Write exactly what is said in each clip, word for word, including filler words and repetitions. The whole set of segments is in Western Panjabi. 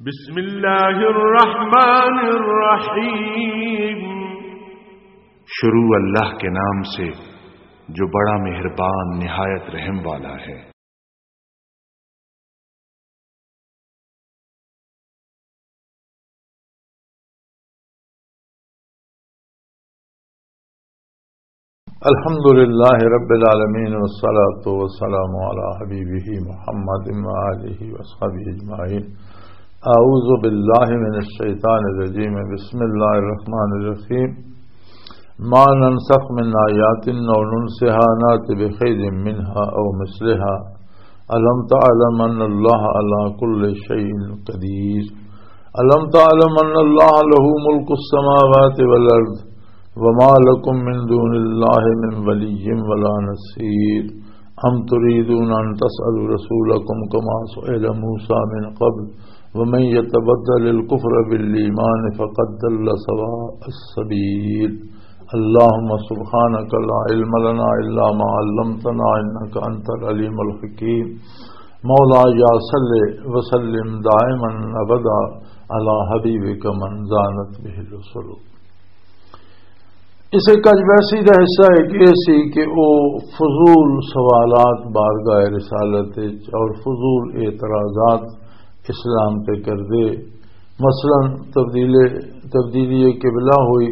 بسم اللہ الرحمن الرحیم۔ شروع اللہ کے نام سے جو بڑا مہربان نہایت رحم والا ہے۔ الحمد لله رب العالمين، والصلاة والسلام على حبيبه محمد وآله وأصحابه أجمعين. أعوذ بالله من الشيطان الرجيم. بسم الله الرحمن الرحيم. ما ننسخ من آية أو ننسها نأت بخير منها أو مثلها. ألم تعلم أن الله على كل شيء قدير. ألم تعلم أن الله له ملك السماوات والأرض وما لكم من دون الله من ولي ولا نصير. أم تريدون أن تسألوا رسولكم كما سئل موسى من قبل ومن يتبدل الكفر بالإيمان فقد ضل سواء السبيل. اللهم سبحانك لا علم لنا إلا ما علمتنا إنك أنت العليم الحكيم. مولا یا صل وسلم دائما ابدا على حبيبك من زانت به الرسل. اس ایک اج ویسی دا حصہ ہے کہ یہ سی کہ او فضول سوالات بارگاہ رسالت وچ اور فضول اعتراضات اسلام تے کردے، مثلاً تبدیل، تبدیلی قبلہ ہوئی،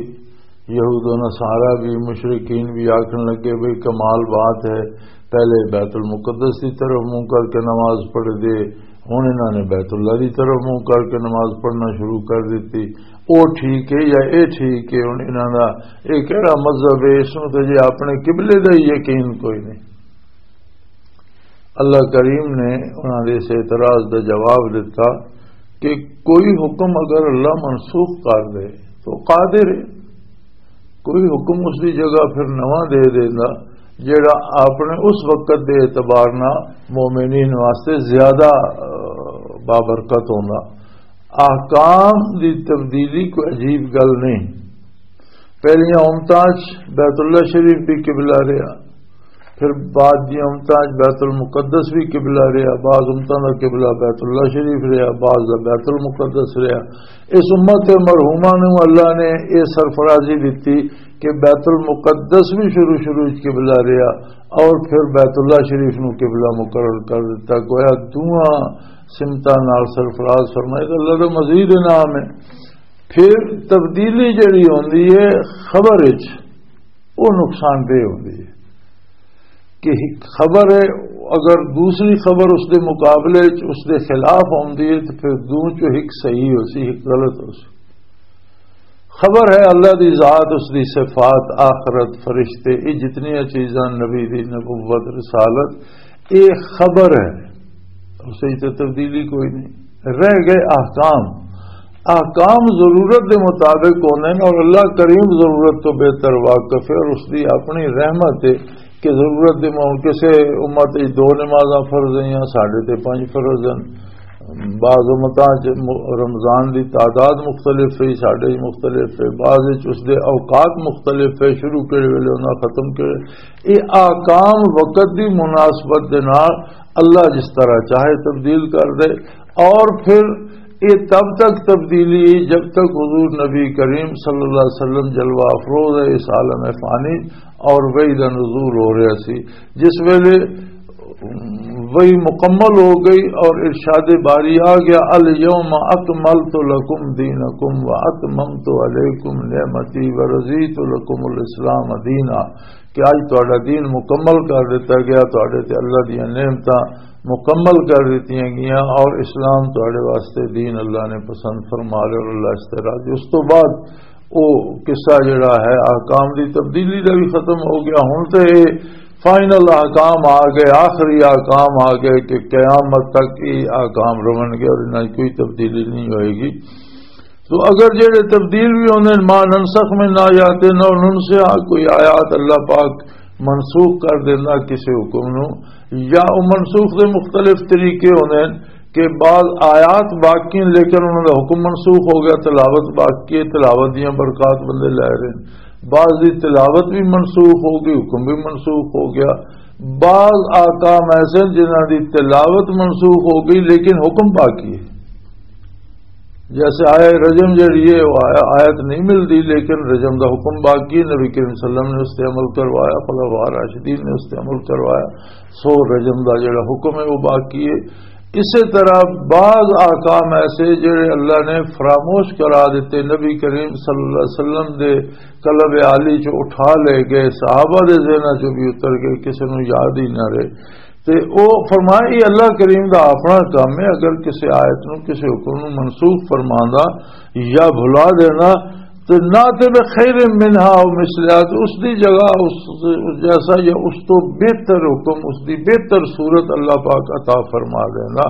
یہود و نصارہ بھی، مشرکین بھی آکھن لگے، بھئی کمال بات ہے، پہلے بیت المقدس دی طرف منہ کر کے نماز پڑھ دے، ہن انہاں نے بیت اللہ دی طرف منہ کر کے نماز پڑھنا شروع کر دتی۔ او ٹھیک ہے یا اے ٹھیک ہے؟ ہن انہاں دا اے کہڑا مذہب ہے؟ اس نوں تے جے اپنے قبلے دا ہی یقین کوئی نہیں۔ اللہ کریم نے انہاں دے اس اعتراض دا جواب دتا کہ کوئی حکم اگر اللہ منسوخ کر دے تو قادر ہے، کوئی حکم اس دی جگہ پھر نواں دے دیندا، جیڑا اپنے اس وقت دے اعتبار نال مومنین واسطے زیادہ، آ، بابرکت ہوندا۔ احکام دی تبدیلی کوئی عجیب گل نہیں۔ پہلیاں امتاں چ بیت اللہ شریف بھی قبلہ رہیا، پھر بعد دی امتاں چ بیت المقدس بھی قبلہ رہیا، بعض امتاں دا قبلہ بیت اللہ شریف رہیا، بعض دا بیت المقدس رہیا۔ اس امت مرحومہ نوں اللہ نے یہ سرفرازی دتی کہ بیت المقدس بھی شروع شروع وچ قبلہ رہیا اور پھر بیت اللہ شریف نوں قبلہ مقرر کر دتا۔ گویا دوواں سمتاں نال سرفراز فرمائے۔ تو اللہ دا مزید انعام ہے۔ پھر تبدیلی جڑی ہوندی ہے خبر وچ، وہ نقصان دہ ہوندی ہے کہ ایک خبر ہے، اگر دوسری خبر اس دے مقابلے وچ اس دے خلاف ہوندی ہے تو پھر دوں چوں ایک صحیح ہو سی، ایک غلط ہو سی۔ خبر ہے اللہ دی ذات، اس دی صفات، آخرت، فرشتے، یہ جتنی چیزاں، نبی دی نبوت، رسالت، یہ خبر ہے، اس وچ تے تبدیلی کوئی نہیں۔ رہ گئے احکام۔ احکام ضرورت دے مطابق ہوندے نے اور اللہ کریم ضرورت تو بہتر واقف ہے اور اس دی اپنی رحمت ہے کہ ضرورت دے مو-، کسے امت وچ دو نمازاں فرض ہیں، ساڈے تے پنج فرض ہیں۔ بعض امتاں چ م-، رمضان دی تعداد مختلف ہے، ساڈے وچ مختلف ہے، بعض وچ اس دے اوقات مختلف ہے، شروع کیڑے ویلے ہونا، ختم کیڑے۔ یہ احکام وقت دی مناسبت دے نال اللہ جس طرح چاہے تبدیل کر دے، اور پھر یہ تب تک تبدیلی ہے جب تک حضور نبی کریم صلی اللہ علیہ وسلم جلوہ افروز ہے اس عالم فانی اور وحی دا نزول ہو رہا سی، جس ویلے وہی مکمل ہو گئی اور ارشاد باری آ گیا، "الیوم اکملت لکم دینکم و اتممت علیکم نعمتی و رضیت لکم الاسلام دینا"، کہ آج تہاڈا دین مکمل کر دتا گیا، تہاڈے تے اللہ دیاں نعمتاں مکمل کر دتیاں گئیاں اور اسلام تہاڈے واسطے دین اللہ نے پسند فرما لیا اور اللہ اس تے راضی۔ اس تو بعد او قصہ جڑا ہے احکام دی تبدیلی دا بھی ختم ہو گیا۔ ہن تے اے فائنل احکام آ گئے، آخری احکام آ گئے کہ قیامت تک یہ احکام رہن گے اور انہاں 'چ کوئی تبدیلی نہیں ہوئے گی۔ تو اگر جڑے تبدیل بھی ہوندے نے، ما ننسخ من آیات او ننسها، کوئی آیات اللہ پاک منسوخ کر دینا کسی حکم نو، یا او منسوخ دے مختلف طریقے ہوندے نے کہ بعض آیات باقی ہیں لیکن انہاں دا حکم منسوخ ہو گیا، تلاوت باقی ہے، تلاوت دیاں برکات بندے لے رہے ہیں۔ بعض دی تلاوت بھی منسوخ ہو گئی، حکم بھی منسوخ ہو گیا۔ بعض احکام ایسے ہیں جنہاں دی تلاوت منسوخ ہو گئی لیکن حکم باقی ہے۔ جیسے آیا رجم جڑی ہے، وہ آیا-، آیت نہیں ملتی، لیکن رجم دا حکم باقی ہے۔ نبی کریم صلی اللہ علیہ وسلم نے اس تے عمل کروایا، خلفاء راشدین نے اس تے عمل کروایا۔ سو رجم دا جڑا حکم ہے، وہ باقی ہے۔ اسی طرح بعض احکام ایسے جڑے اللہ نے فراموش کرا دیتے، نبی کریم صلی اللہ علیہ وسلم دے قلب عالی چ اٹھا لے گئے، صحابہ دے ذہناں چ بھی اتر گئے، کسی نوں یاد ہی نہ رہے۔ تے او فرمایا، یہ اللہ کریم دا اپنا کام ہے، اگر کسی آیت نو، کسی حکم نو منسوخ فرماندا یا بھلا دینا، تے نہ تے بخیر منہا او مثلہا، تے اس دی جگہ اس، اس جیسا یا اس تو بہتر حکم، اس دی بہتر صورت اللہ پاک عطا فرما دینا۔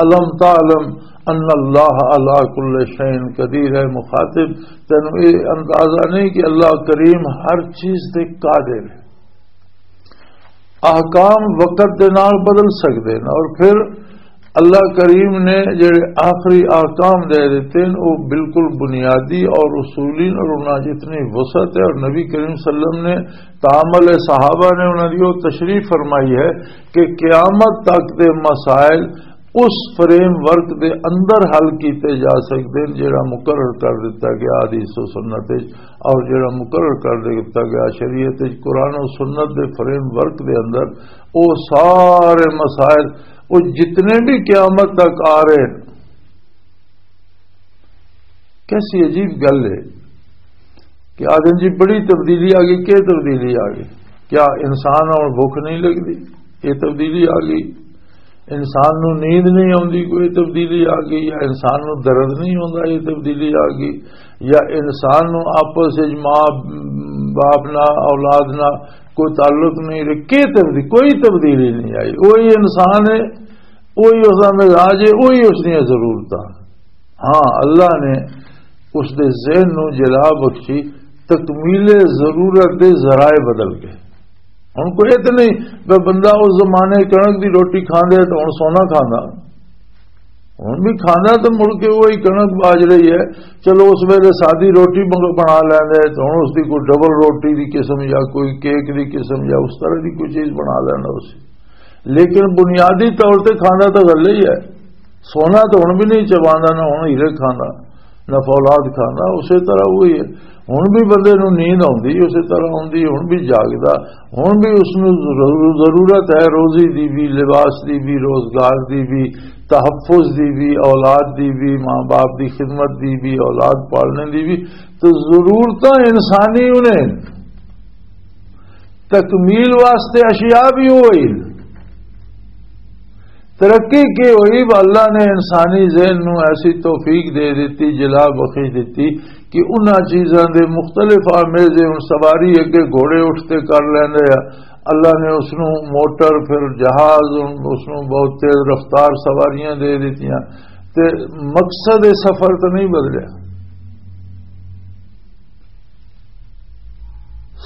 الم تعلم ان اللہ علی کل شیء قدیر۔ اے مخاطب، تینوں اے اندازہ نہیں کہ اللہ کریم ہر چیز تے قادر ہے؟ احکام وقت دے نال بدل سکدے نے، اور پھر اللہ کریم نے جڑے آخری احکام دے دیتے ہیں، وہ بالکل بنیادی اور اصولی، اور انہاں جتنی وسعت ہے، اور نبی کریم صلی اللہ علیہ وسلم نے تعامل صحابہ نے انہاں دی وہ تشریح فرمائی ہے کہ قیامت تک دے مسائل اس فریم ورک دے اندر حل کیتے جا سکدے ہیں جڑا مقرر کر دیتا گیا حدیث و سنت وچ، اور جڑا مقرر کر دیتا گیا شریعت وچ، قرآن و سنت دے فریم ورک دے اندر، وہ سارے مسائل، وہ جتنے بھی قیامت تک آ رہے ہیں۔ کیسی عجیب گل ہے کہ آدم جی بڑی تبدیلی آ گئی۔ کیا تبدیلی آ گئی؟ کیا انسان اور بھوک نہیں لگتی؟ یہ تبدیلی آ گئی۔ انسان نو نیند نہیں آتی، کوئی تبدیلی آ گئی؟ یا انسان نو درد نہیں آتا، یہ تبدیلی آ گئی؟ یا انسان نو آپس وچ ماں باپ نہ، اولاد نہ کوئی تعلق نہیں رہے؟ کی تبدیلی؟ کوئی تبدیلی نہیں آئی۔ وہی انسان ہے، وہی اس کا مزاج ہے، وہی اس دیا ضرورتاں۔ ہاں، اللہ نے اس دے ذہن نو جلا بخشی، تکمیل ضرورت دے ذرائع بدل گئے۔ ہن کوئی اتنے نہیں، بندہ اس زمانے کنک دی روٹی کھاندا ہے تو ہن سونا کھاندا۔ ہن بھی کھاندا تو مڑ کے وہی کنک باج رہی ہے۔ چلو، اس ویلے سادی روٹی منگ-، بنا لینا ہے تو ہن اس دی کوئی ڈبل روٹی دی قسم یا کوئی کیک دی قسم یا اس طرح دی کوئی چیز بنا لینا اس۔ لیکن بنیادی طور تے کھاندا تو غلے ہی ہے۔ سونا تو ہن بھی نہیں چباندا، نہ ہن ہیرے کھاندا، نہ فولاد کھاندا۔ اسی طرح وہی ہے، ہن بھی بندے نوں نیند آندی، اسی طرح آندی، ہن بھی جاگدا، ہن بھی اس نوں ضرور-، ضرورت ہے روزی دی بھی، لباس دی بھی، روزگار دی بھی، تحفظ دی بھی، اولاد دی بھی، ماں باپ دی خدمت دی بھی، اولاد پالنے دی بھی۔ تو ضرورتاں انسانی انہیں تکمیل واسطے اشیاء بھی ہوئی۔ ترقی کی ہوئی؟ اللہ نے انسانی ذہن نو ایسی توفیق دے دیتی، جلا بخش دیتی کہ انہاں چیزاں دے مختلف آمیزے، ہن سواری اگے گھوڑے اٹھ تے کر لیندے آ، اللہ نے اس نو موٹر، پھر جہاز، ہن اس نو بہت تیز رفتار سواریاں دے دتیاں، تے مقصد سفر تو نہیں بدلیا۔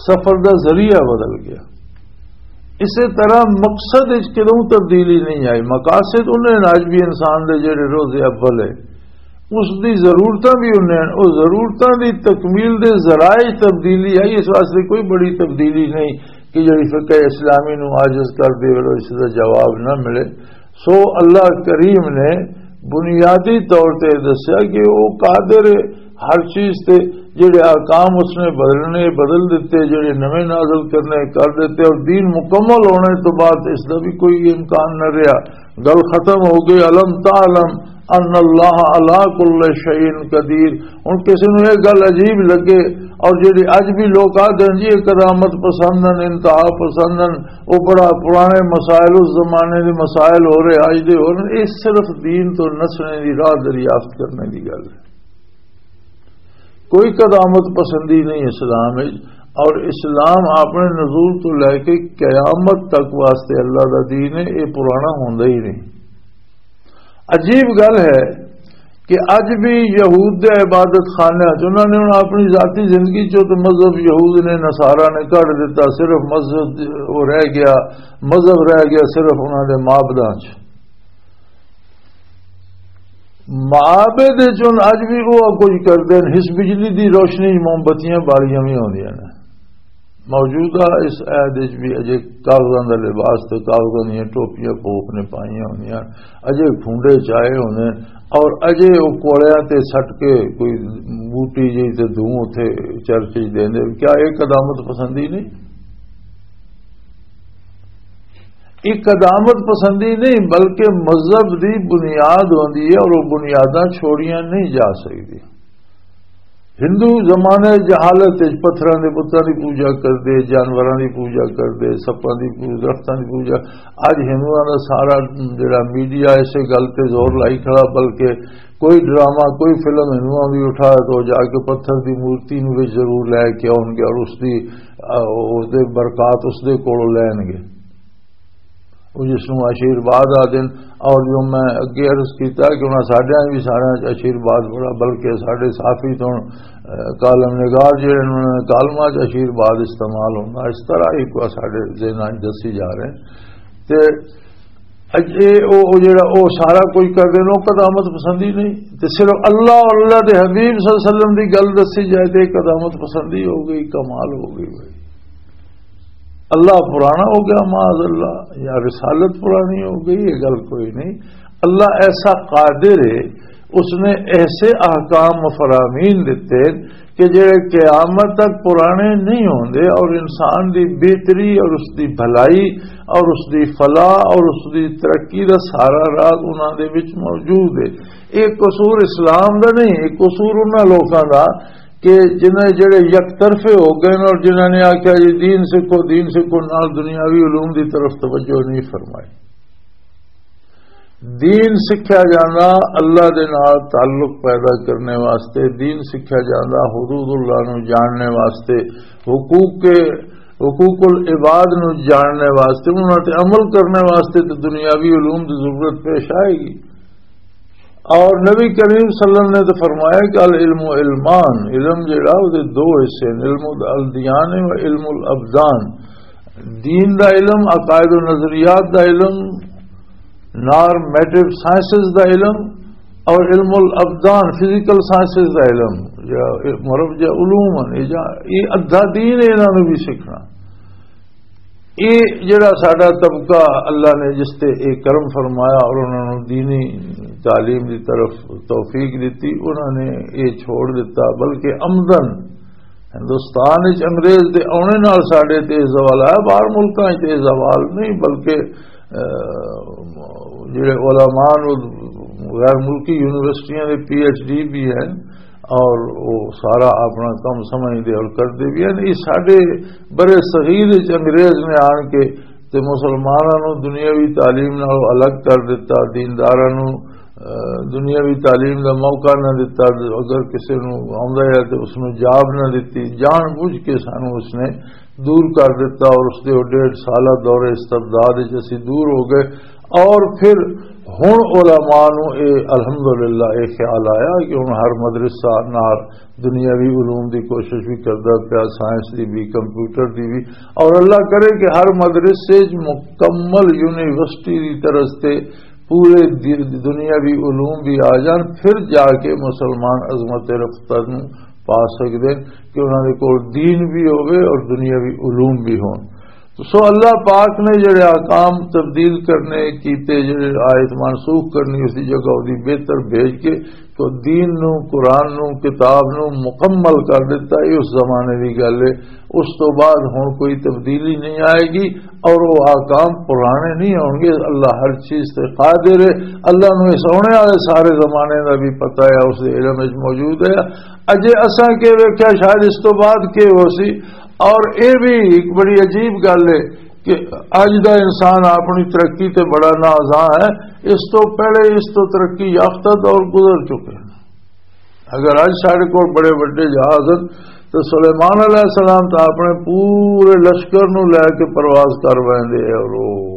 سفر دا ذریعہ بدل گیا۔ اسی طرح مقصد وچ کدوں تبدیلی نہیں آئی، مقاصد انہیں نے، اج بھی انسان دے جڑے روز اول ہے، اس دی ضرورتاں بھی انہیں نے، اس ضرورتاں دی تکمیل دے ذرائع تبدیلی آئی۔ اس واسطے کوئی بڑی تبدیلی نہیں کہ جڑی فقہ اسلامی نو عاجز کر دے، اس دا جواب نہ ملے۔ سو اللہ کریم نے بنیادی طور تے دسیا کہ وہ قادر ہے ہر چیز تے، جڑے احکام اس نے بدلنے، بدل دیتے، جڑے نویں نازل کرنے، کر دیتے، اور دین مکمل ہونے تو بعد اس دا بھی کوئی امکان نہ رہا۔ گل ختم ہو گئی۔ الم تعلم ان اللہ علی کل شیء قدیر۔ ہن کسی نوں یہ گل عجیب لگے، اور جڑی اج بھی لوگ آدھے ہیں جی یہ قدامت پسند ہیں، انتہا پسند ہیں، وہ بڑا پرانے مسائل، اس زمانے دے مسائل ہو رہے، اج دے ہو رہے، یہ صرف دین تو نسنے دی راہ دریافت کرنے دی گل ہے۔ کوئی قدامت پسندی نہیں اسلام وچ، اور اسلام اپنے نزول تو لے کے قیامت تک واسطے اللہ دا دین ہے، یہ پرانا ہوندا ہی نہیں۔ عجیب گل ہے کہ اج بھی یہود دے عبادت خانے چ انہاں نے ہن اپنی ذاتی زندگی چوں تے مذہب یہود نے، نصارہ نے کڈ دتا، صرف مذہب وہ رہ گیا، مذہب رہ گیا صرف انہاں دے معبداں چ۔ معابد وچ ہن اج بھی وہ کچھ کردے نے، اس بجلی دی روشنی موم بتیاں بالیاں بھی ہوندیاں نے۔ موجودہ اس عہد وچ بھی اجے کاغذاں دا لباس تے کاغذاں دیاں ٹوپیاں پوپ نے پائیاں ہوندیاں، اجے کھونڈے چائے ہوندے، اور اجے او کوڑیاں تے سٹ کے کوئی بوٹی جی تے دھوں اتھے چرچ وچ دیندے۔ کیا یہ قدامت پسندی نہیں؟ یہ قدامت پسندی نہیں، بلکہ مذہب دی بنیاد ہوندی ہے اور وہ بنیاداں چھوڑیاں نہیں جا سکدی۔ ہندو زمانے جہالت وچ پتھراں دے بتاں دی پوجا کردے، جانوراں دی پوجا کردے، سپاں دی پوجا، درختاں دی پوجا۔ اج ہندوؤں دا سارا جڑا میڈیا اسے گل تے زور لائی کھڑا، بلکہ کوئی ڈرامہ، کوئی فلم ہندوؤں دی اٹھا تو جا کے پتھر دی مورتی نوں وچ ضرور لے کے آؤن گے اور اس دی، آ، اس دے برکات اس دے کولوں لین گے۔ وہ جس نوں آشیرواد آ دین۔ اور جو میں اگے عرض کیتا کہ انہاں ساڈیاں بھی سارے آشیرواد بڑا، بلکہ ساڈے صحافی تو، آ، کالم نگار جڑے انہاں نے کالماں چ آشیرواد استعمال ہونا، اس طرح ہی کوئی ساڈے ذہناں چ دسی جا رہے ہیں۔ تے اج اے او، او جڑا او سارا کچھ کر دے نو قدامت پسندی نہیں، تے صرف اللہ اور اللہ دے حبیب صلی اللہ علیہ وسلم دی گل دسی جائے تے قدامت پسندی ہو گئی، کمال ہو گئی بھائی۔ اللہ پرانا ہو گیا، معاذ اللہ، یا رسالت پرانی ہو گئی، یہ گل کوئی نہیں۔ اللہ ایسا قادر ہے، اس نے ایسے احکام و فرامین دیتے کہ جڑے قیامت تک پرانے نہیں ہوندے، اور انسان دی بہتری اور اس دی بھلائی اور اس دی فلاح اور اس دی ترقی دا سارا راز انہاں دے وچ موجود ہے۔ یہ قصور اسلام دا نہیں، یہ قصور انہاں لوکاں دا کہ جنہیں جڑے یک طرفے ہو گئے اور جنہاں نے آکھیا جی دین سکھو، دین سکھو، نال دنیاوی علوم دی طرف توجہ نہیں فرمائی۔ دین سکھیا جانا اللہ دے نال تعلق پیدا کرنے واسطے، دین سکھیا جانا حدود اللہ نو جاننے واسطے، حقوق کے، حقوق العباد نو جاننے واسطے، انہاں تے عمل کرنے واسطے تے دنیاوی علوم دی ضرورت پیش آئے گی۔ اور نبی کریم صلی اللہ علیہ وسلم نے تو فرمایا کہ العلم علمان، علم جڑا، وہ دے دو حصے ہیں، علم الدیان و علم الابدان۔ دین دا علم، عقائد و نظریات دا علم، نارمیٹو سائنسز دا علم، اور علم الابدان، فزیکل سائنسز دا علم، یا مرب یا علوم ہیں، یہ جا-، یہ ادھا دین ہے، انہاں نوں بھی سیکھنا۔ یہ جڑا ساڈا طبقہ اللہ نے جس تے یہ کرم فرمایا اور انہاں نوں دینی تعلیم دی طرف توفیق دتی، انہاں نے یہ چھوڑ دتا، بلکہ عمدن ہندوستان وچ انگریز دے آنے نال ساڈے تے یہ زوال آیا، باہر ملکاں وچ یہ زوال نہیں، بلکہ، آ، جڑے علماء نوں غیر ملکی یونیورسٹیاں دے پی ایچ ڈی بھی ہیں اور وہ سارا اپنا کم سمجھدے اور کردے بھی ہیں۔ یہ ساڈے برے صغیر وچ انگریز نے آن کے تے مسلماناں نوں دنیاوی تعلیم نال الگ کر دتا، دینداراں نوں، آ، دنیاوی تعلیم دا موقع نہ دتا۔ اگر کسے نوں آوندا ہے تے اس نوں جاب نہ دتی، جان بوجھ کے سانوں اس نے دور کر دتا اور اس دے او ڈیڑھ سالہ دور استبداد وچ اسی دور ہو گئے۔ اور پھر ہن علماء نوں اے الحمدللہ اے خیال آیا کہ ہن ہر مدرسہ نال دنیاوی علوم دی کوشش بھی کردا پیا، سائنس دی بھی، کمپیوٹر دی بھی، اور اللہ کرے کہ ہر مدرسے وچ مکمل یونیورسٹی دی طرز تے پورے دی-، دنیاوی علوم بھی آ جان، پھر جا کے مسلمان عظمت رفتہ نوں پا سکدے کہ انہاں دے کول دین بھی ہوے اور دنیاوی علوم بھی ہون۔ سو اللہ پاک نے جڑے احکام تبدیل کرنے کیتے، جڑے آیت منسوخ کرنی، اس دی جگہ اس دی بہتر بھیج کے تو دین نو، قرآن نو، کتاب نو مکمل کر دیتا۔ یہ اس زمانے دی گل ہے۔ اس تو بعد ہن کوئی تبدیلی نہیں آئے گی اور وہ احکام پرانے نہیں ہون گے۔ اللہ ہر چیز تے قادر ہے۔ اللہ نو اس آنے والے سارے زمانے دا بھی پتہ ہے، اس دے علم وچ موجود ہے۔ اجے اساں کے ویکھیا، شاید اس تو بعد کے ہو سی۔ اور اے بھی ایک بڑی عجیب گل ہے کہ اج دا انسان اپنی ترقی تے بڑا نازاں ہے، اس تو پہلے اس تو ترقی یافتہ دور گزر چکے ہیں۔ اگر اج سارے کول بڑے وڈے جہاز ہیں تو سلیمان علیہ السلام تو اپنے پورے لشکر نو لے کے پرواز کر ویندے اور وہ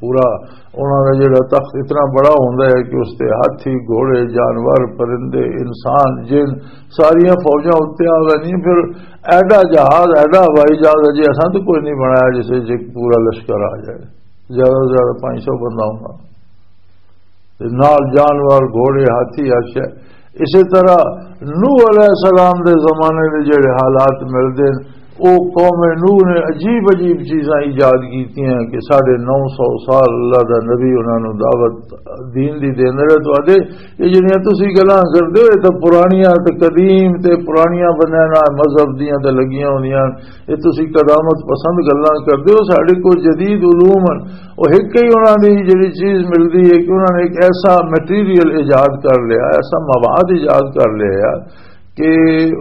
پورا انہاں دا جڑا تخت اتنا بڑا ہوندا ہے کہ اس تے ہاتھی، گھوڑے، جانور، پرندے، انسان، جن، ساریاں فوجاں اتنے آ ویندیاں۔ پھر ایڈا جہاز، ایڈا ہوائی جہاز اجے اساں تو کوئی نہیں بنایا جس وچ ایک پورا لشکر آ جائے، زیادہ سے زیادہ پانچ سو بندہ ہونا، تے نال جانور، گھوڑے، ہاتھی، ہر شے۔ اسی طرح نوح علیہ السلام دے زمانے دے جڑے حالات ملدے نے، او قوم نوح نے عجیب عجیب چیزاں ایجاد کیتیاں کہ ساڑھے نو سو سال اللہ دا نبی انہاں نوں دعوت دین دی دیندا رہیا۔ تہاڈے یہ جڑیاں تسی گلاں کردے ہو، یہ تاں پرانیاں تے قدیم تے پرانیاں بنیاداں مذہب دیاں تے لگیاں ہوندیاں۔ یہ تسی قدامت پسند گلاں کردے ہو، ساڈے کول جدید علوم ہن۔ او ہک ہی انہاں دی جڑی چیز ملدی ہے کہ انہاں نے ایک ایسا مٹیریل ایجاد کر لیا، ایسا مواد ایجاد کر لیا کہ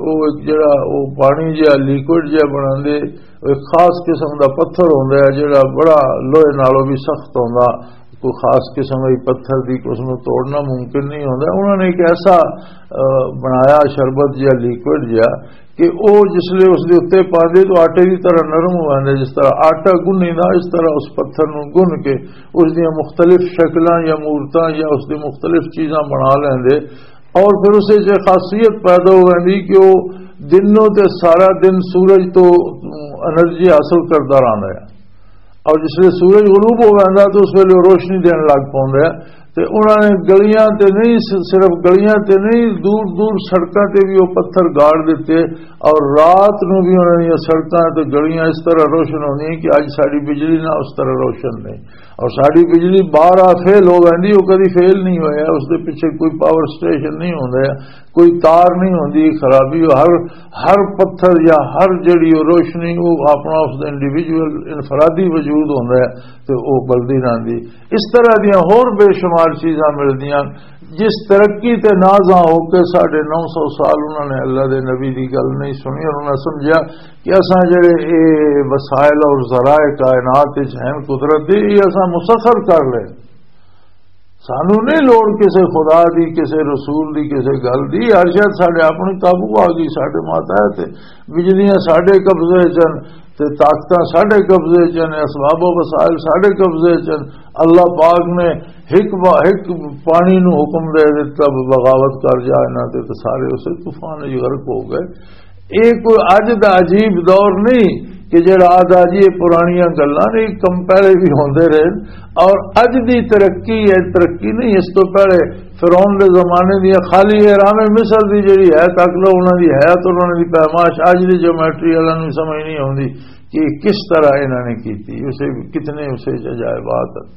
او ایک جڑا او پانی جہا، لیکوئڈ جہا بناندے، او ایک خاص قسم دا پتھر ہوندا ہے جڑا بڑا لوہے نالوں بھی سخت ہوندا، کوئی خاص قسم دی پتھر دی اس نوں توڑنا ممکن نہیں ہوندا۔ انہاں نے ایک ایسا، آ، بنایا شربت جہا، لیکوئڈ جہا کہ او جس لے اس دے اُتے پاندے تو آٹے دی طرح نرم ہو جاندا، جس طرح آٹا گنّی دا، اس طرح اس پتھر نوں گن کے اس دیاں مختلف شکلاں یا مورتاں یا اس دی مختلف چیزاں بنا لیندے۔ اور پھر اس وچ یہ خاصیت پیدا ہو جاندی کہ وہ دن نوں تے سارا دن سورج تو انرجی حاصل کردا رہندا ہے، اور جس ویلے سورج غروب ہو جاندا تو اس ویلے وہ روشنی دین لگ پوندا ہے۔ تے انہاں نے گلیاں تے نہیں، صرف گلیاں تے نہیں، دور دور سڑکاں تے بھی وہ پتھر گاڑ دتے، اور رات نوں بھی انہاں دیاں سڑکاں تے گلیاں اس طرح روشن ہوندیاں کہ اج ساڈی بجلی نہ اس طرح روشن نہیں۔ اور ساڈی بجلی بارہ فیل ہو ویندی، وہ کدی فیل نہیں ہویا، اس دے پیچھے کوئی پاور سٹیشن نہیں ہوندا، کوئی تار نہیں ہوندی خرابی، ہر، ہر پتھر یا ہر جڑی وہ روشنی، وہ اپنا اس دا انڈیویجول، انفرادی وجود ہوندا ہے، تے وہ بلدی رہندی۔ اس طرح دیاں ہور بے شمار چیزاں ملدیاں۔ جس ترقی تے نازاں ہو کے ساڑھے نو سو سال انہاں نے اللہ دے نبی دی گل نہیں سنی، اور انہاں سمجھیا کہ اساں جڑے اے وسائل اور ذرائع کائنات وچ ہیں قدرت دے، یہ اساں مسخر کر لے، سانو نہیں لوڑ کسے خدا دی، کسے رسول دی، کسے گل دی۔ ہر شاید ساڈے اپنے قابو آ گئی، ساڈے ماتحت بجلیاں ساڈے قبضے چن، تے طاقتاں ساڈے قبضے چن، اسباب و وسائل ساڈے قبضے چن۔ اللہ پاک نے ہک با-، ہک پانی نو حکم دے دتا، بغاوت کر جا انہاں تے، تے سارے اسے طوفان وچ غرق ہو گئے۔ یہ کوئی اج دا عجیب دور نہیں کہ جڑا آدھا جی یہ پرانیاں گلاں نے، کم پہلے بھی ہوندے رہے، اور اج دی ترقی ہے، ترقی نہیں۔ اس تو پہلے فرعون دے زمانے دی خالی اہرام مصر دی جڑی ہے، تک لو انہاں دی حیات اور انہاں دی پیمائش اج دی جیومیٹری والا نوں سمجھ نہیں آوندی کہ یہ کس طرح انہاں نے کیتی، اسے کتنے اسے عجائبات ہیں۔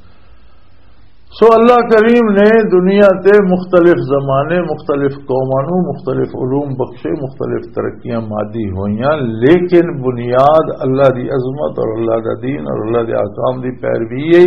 سو اللہ کریم نے دنیا تے مختلف زمانے، مختلف قوماں نوں مختلف علوم بخشے، مختلف ترقیاں مادی ہوئیاں، لیکن بنیاد اللہ دی عظمت اور اللہ دا دین اور اللہ دے احکام دی پیروی ہے۔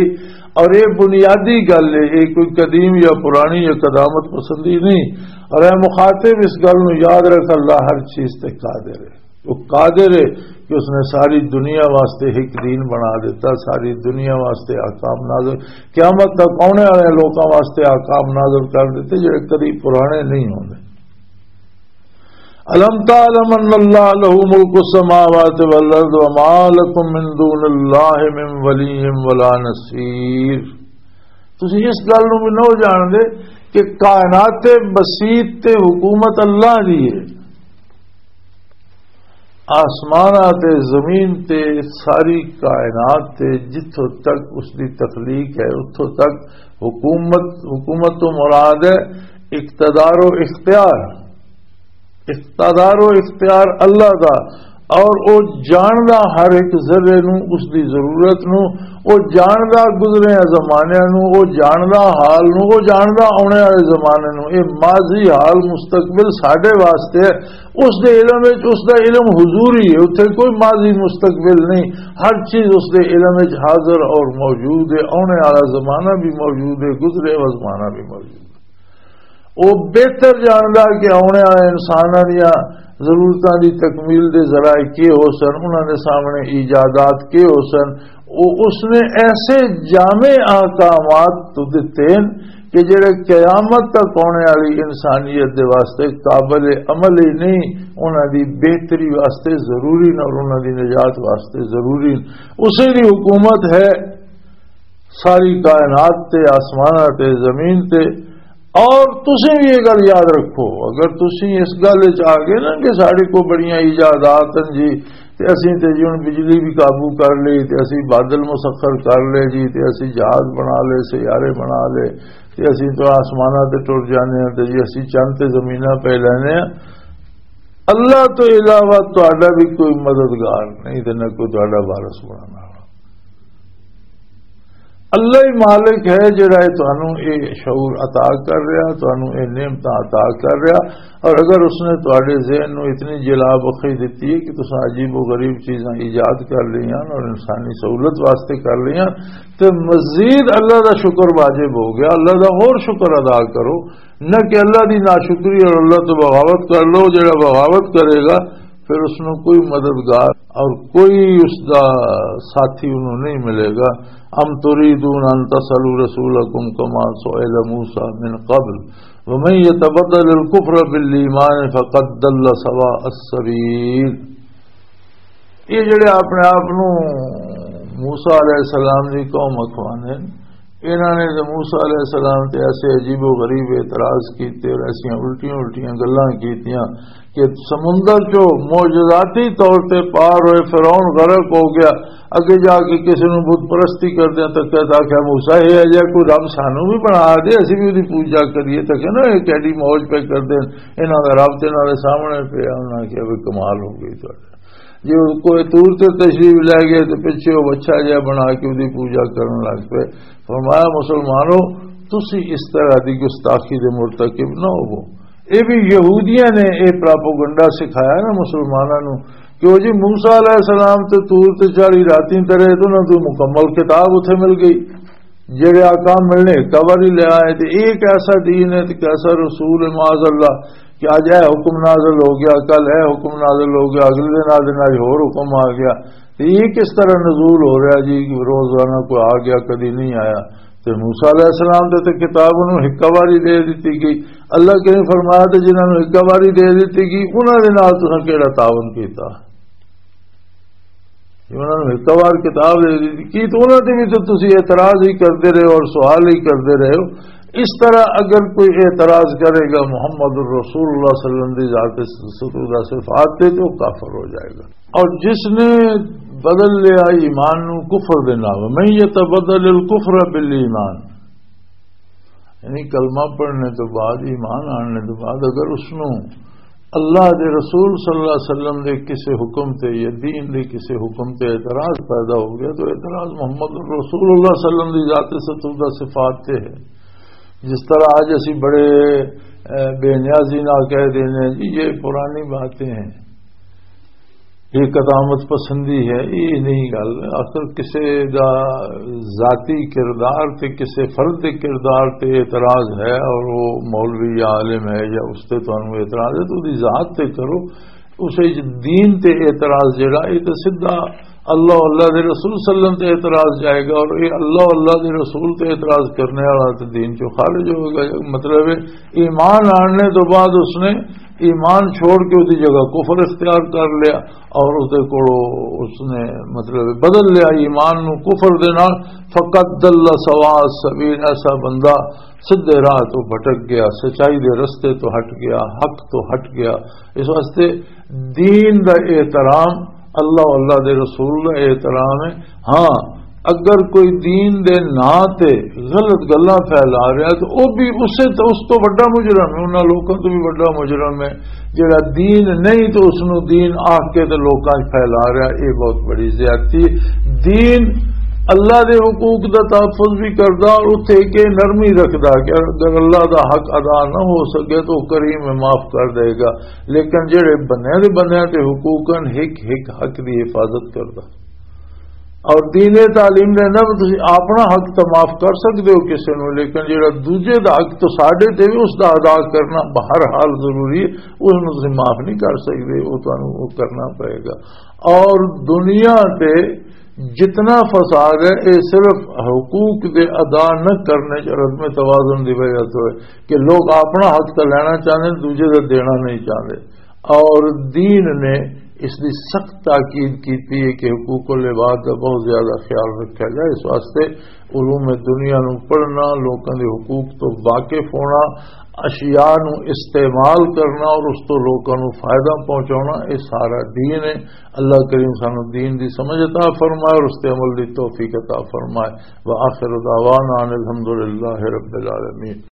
اور یہ بنیادی گل ہے، یہ کوئی قدیم یا پرانی یا قدامت پسندی نہیں۔ اور اے مخاطب، اس گل نوں یاد رکھ، اللہ ہر چیز تے قادر ہے۔ وہ قادر ہے کہ اس نے ساری دنیا واسطے ایک دین بنا دیتا، ساری دنیا واسطے احکام نازل، قیامت تک آنے والے لوکاں واسطے احکام نازل کر دیتے، جڑے کدی پرانے نہیں ہوندے۔ الم تعلم ان اللہ لہ ملک السماوات والارض وما لکم من دون اللہ من ولی ولا نصیر۔ تسی اس گل نوں بھی نہ جان دے کہ کائنات بسیط تے حکومت اللہ دی ہے۔ آسماناں تے زمین تے ساری کائنات تے جتھوں تک اس دی تخلیق ہے، اتھوں تک حکومت، حکومت تو مراد ہے اقتدار و اختیار۔ اقتدار و اختیار اللہ دا، اور او جاندا ہر ایک ذرے نو، اس دی ضرورت نو، او جاندا گزرے زمانے نو، او جاندا حال نو، او جاندا آنے والے زمانے نو۔ اے ماضی، حال، مستقبل ساڈے واسطے ہے۔ اس دے علم وچ، اس دا علم حضوری ہے، اتھے کوئی ماضی مستقبل نہیں۔ ہر چیز اس دے علم وچ حاضر اور موجود ہے، آنے والا زمانہ بھی موجود ہے، گزرے ہوئے زمانہ بھی موجود ہے۔ وہ بہتر جاندا کہ آنے والے انساناں دیاں ضرورتاں دی تکمیل دے ذرائع کی ہو سن، انہاں دے سامنے ایجادات کی ہو سن۔ وہ اس نے ایسے جامع احکامات تو دتے ہیں کہ جڑے قیامت تک آنے والی انسانیت دے واسطے قابل عمل ہی نہیں، انہاں دی بہتری واسطے ضروری نے اور انہاں دی نجات واسطے ضروری نے۔ اسے دی حکومت ہے ساری کائنات تے، آسماناں تے، زمین تے۔ اور تسیں بھی یہ گل یاد رکھو، اگر تسیں اس گل وچ آ گئے نا کہ ساڈے کو بڑیاں ایجادات ہیں جی، تے اسیں تے جی ہن بجلی بھی قابو کر لئی، تے اسیں بادل مسخر کر لے جی، تے اسیں جہاز بنا لے، سیارے بنا لے، تے اسیں تو آسماناں تے ٹر جانے ہیں، تے جی اسیں چند تے زمیناں پہ لینے ہیں۔ اللہ تو علاوہ تہاڈا بھی کوئی مددگار نہیں تے نہ کوئی تہاڈا وارث بنانا۔ اللہ ہی مالک ہے جڑا یہ تانوں یہ شعور عطا کر رہا، تانوں یہ نعمتاں عطا کر رہا۔ اور اگر اس نے تہاڈے ذہن نو اتنی جلا بخشی دتی ہے کہ تساں عجیب و غریب چیزاں ایجاد کر لئیاں اور انسانی سہولت واسطے کر لئیاں، تے مزید اللہ دا شکر واجب ہو گیا۔ اللہ دا اور شکر ادا کرو، نہ کہ اللہ دی ناشکری اور اللہ تو بغاوت کر لو۔ جڑا بغاوت کرے گا، پھر اس نو کوئی مددگار اور کوئی اس دا ساتھی انہوں نہیں ملے گا۔ ام تريدون ان تسألوا رسولكم كما سئل موسى من قبل ومن يتبدل الكفر بالإيمان فقد ضل سواء السبيل۔ یہ جڑے اپنے آپ نو موسیٰ علیہ السلام دی قوم اکھوانے، انہاں نے تے موسیٰ علیہ السلام تے ایسے عجیب و غریب اعتراض کیتے اور ایسیاں الٹیاں الٹیاں گلاں کیتیاں کہ سمندر چو معجزاتی طور تے پار ہوئے، فرعون غرق ہو گیا۔ اگے جا کے کسی نو بت پرستی کردے تکیا تاکہ موسیٰ یہ ہے جا کوئی رب سانو بھی بنا دے، اسی بھی اودی پوجا کریے۔ تکیا نا یہ کیڈی موج پہ کردے، انہاں دا رب تے انہاں دے سامنے پہ۔ انہاں کہیا بھی کمال ہو گئی تہاڈے۔ جی، کوہ طور تے تشریف لے گئے تے پچھے وہ بچہ جہا بنا کے اودی پوجا کرن لگ پئے۔ فرمایا، مسلمانو، تسی اس طرح دی گستاخی دے مرتکب نہ ہوو۔ اے بھی یہودیاں نے اے پراپوگنڈا سکھایا نا مسلماناں نو کہ وہ جی موسیٰ علیہ السلام تے طور تے چالیس راتیں تے رہے تے انہاں کو مکمل کتاب اتھے مل گئی۔ جڑے احکام ملنے ہکا واری لے آئے، تے ایک ایسا دین ہے، تے ایک ایسا رسول ہے، معاذ اللہ، کہ اج اے حکم نازل ہو گیا، کل اے حکم نازل ہو گیا، اگلے دن آ دن اج ہور حکم آ گیا۔ تے یہ کس طرح نزول ہو رہا جی؟ روزانہ کوئی آ گیا، کدی نہیں آیا۔ تے موسیٰ علیہ السلام تے، تے کتاب انہوں ہکا واری دے دتی گئی۔ اللہ کریم فرمایا، تے جنہاں نوں ہکا واری دے دتی گئی، انہاں دے نال تساں کیڑا تعاون کیتا؟ انہاں نوں ہک وار کتاب دے دتی، کی تو انہاں تے بھی تو تسی اعتراض ہی کردے رہے ہو اور سوال ہی کردے رہے ہو۔ اس طرح اگر کوئی اعتراض کرے گا محمد الرسول اللہ صلی اللہ علیہ وسلم دی ذات ستودہ صفات تے، تو کافر ہو جائے گا۔ اور جس نے بدل لیا ایمان نو کفر دے نال، من یتبدل الکفر بالایمان، یعنی کلمہ پڑھنے تو بعد، ایمان آننے تو بعد اگر اس نو اللہ دے رسول صلی اللہ علیہ وسلم دے کسے حکم تے یا دین دے کسے حکم تے اعتراض پیدا ہو گیا، تو اعتراض محمد رسول اللہ صلی اللہ علیہ وسلم دی ذات ستودہ صفات تے ہے۔ جس طرح آج اسی بڑے، اے، بے نیازی نہ کہہ دینے ہیں، جی یہ پرانی باتیں ہیں، یہ قدامت پسندی ہے، یہ نہیں گل۔ آخر کسے دا ذاتی کردار تے کسے فرد دے کردار تے اعتراض ہے اور وہ مولوی یا عالم ہے یا اس تے تانوں اعتراض ہے، تو دی ذات تے کرو۔ اسے دین تے اعتراض جڑا، یہ تو سیدھا اللہ، اللہ دے رسول صلی اللہ علیہ وسلم تے اعتراض جائے گا، اور یہ اللہ، اللہ دے رسول تے اعتراض کرنے والا تے دین چوں خارج ہوئے گا۔ مطلب ہے، ایمان آنے تو بعد اس نے ایمان چھوڑ کے اس دی جگہ کفر اختیار کر لیا، اور اس دے کولوں اس نے، مطلب، بدل لیا ایمان نو کفر دے نال۔ فقد ضل سواء السبیل، ایسا بندہ سیدھے راہ تو بھٹک گیا، سچائی دے رستے تو ہٹ گیا، حق تو ہٹ گیا۔ اس واسطے دین دا احترام، اللہ، اللہ دے رسول دا احترام ہے۔ ہاں، اگر کوئی دین دے ناں تے غلط گلاں پھیلا رہا ہے، تو وہ بھی اسے تو، اس تو بڑا مجرم ہے، انہاں لوکاں تو بھی بڑا مجرم ہے۔ جڑا دین نہیں تو اس نو دین آکھ کے تے لوکاں وچ پھیلا رہا، یہ بہت بڑی زیادتی ہے۔ دین اللہ دے حقوق دا تحفظ بھی کردا اور اتھے کہ نرمی رکھدا کہ اگر اللہ دا حق ادا نہ ہو سکے تو وہ کریم ہے، معاف کر دے گا۔ لیکن جڑے بنیاں دے بنیاں تے حقوق ہن، ہک ہک حق دی حفاظت کردا۔ اور دین تعلیم دیندا بھی تسی اپنا حق تو معاف کر سکدے ہو کسے نو، لیکن جڑا دوجے دا حق تو ساڈے تے بھی اس دا ادا کرنا بہرحال ضروری ہے، اس نو تسی معاف نہیں کر سکدے، وہ تانوں وہ کرنا پئے گا۔ اور دنیا تے جتنا فساد ہے، یہ صرف حقوق دے ادا نہ کرنے چ عدم توازن دی وجہ تو ہے کہ لوگ اپنا حق تو لینا چاہتے ہیں، دوجے دا دینا نہیں چاہتے۔ اور دین نے اس دی سخت تاکید کیتی ہے کہ حقوق العباد دا بہت زیادہ خیال رکھا جائے۔ اس واسطے علوم دنیا نو پڑھنا، لوکاں دے حقوق تو واقف ہونا، اشیاء نو استعمال کرنا اور اس تو لوکاں نو فائدہ پہنچانا، یہ سارا دین ہے۔ اللہ کریم سانو دین دی سمجھ عطا فرمائے اور اس تے عمل دی توفیق عطا فرمائے۔ وآخر دعوانا ان الحمدللہ رب العالمین۔